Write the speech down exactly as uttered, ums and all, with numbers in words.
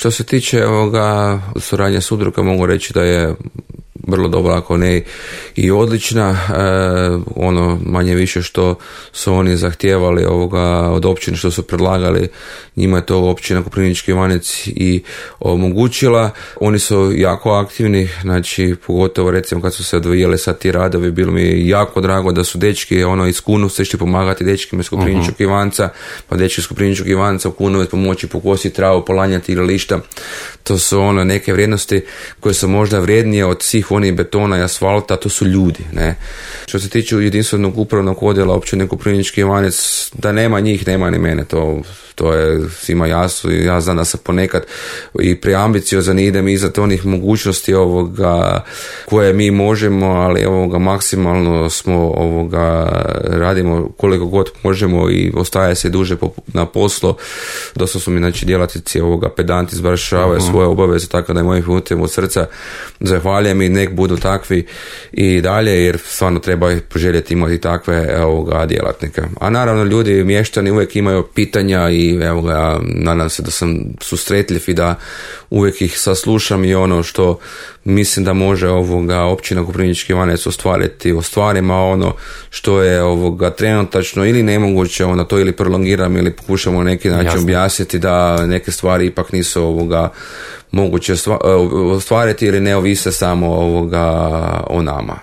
Što se tiče ovoga suradnje s udrugama, mogu reći da je vrlo dobra, ako ne i odlična. E, ono manje više što su oni zahtijevali ovoga od općine, što su predlagali, njima je to općina Koprivnički Ivanec i omogućila. Oni su jako aktivni, znači pogotovo recimo kad su se odvijali sad ti radovi, bilo mi je jako drago da su dečki ono iz Kunovca išli pomagati dečkima iz Koprivničkog uh-huh. Ivanca, pa dečki iz Koprivničkog Ivanca u Kunovec pomoći pokositi travu, polanjati igrališta. To su ono neke vrijednosti koje su možda vrijednije od svih onih betona i asfalta, to su ljudi, ne. Što se tiče jedinstvenog upravnog odjela općine Koprivnički Ivanec, da nema njih, nema ni mene, to, to je svima jasno i ja znam da sam ponekad i preambiciozan i idem iznad onih mogućnosti ovoga koje mi možemo, ali ovoga maksimalno smo ovoga radimo koliko god možemo i ostaje se duže na poslu. Dosta su mi znači djelatnici ovoga pedanti izvršavaju uh-huh. svoje obaveze, tako da je mojim putem od srca zahvaljujem i nek budu takvi i dalje, jer stvarno treba poželjeti imati takve ovoga djelatnike. A naravno ljudi, mještani uvijek imaju pitanja i evo ga, nadam se da sam susretljiv i da uvijek ih saslušam i ono što mislim da može ovoga općina Koprivnički Ivanec ostvariti u stvarima, ono što je ovoga trenutačno ili nemoguće, ono to ili prolongiram ili pokušamo na neki način Jasne. objasniti da neke stvari ipak nisu ovoga moguće ostvariti ili ne ovise samo ovoga o nama.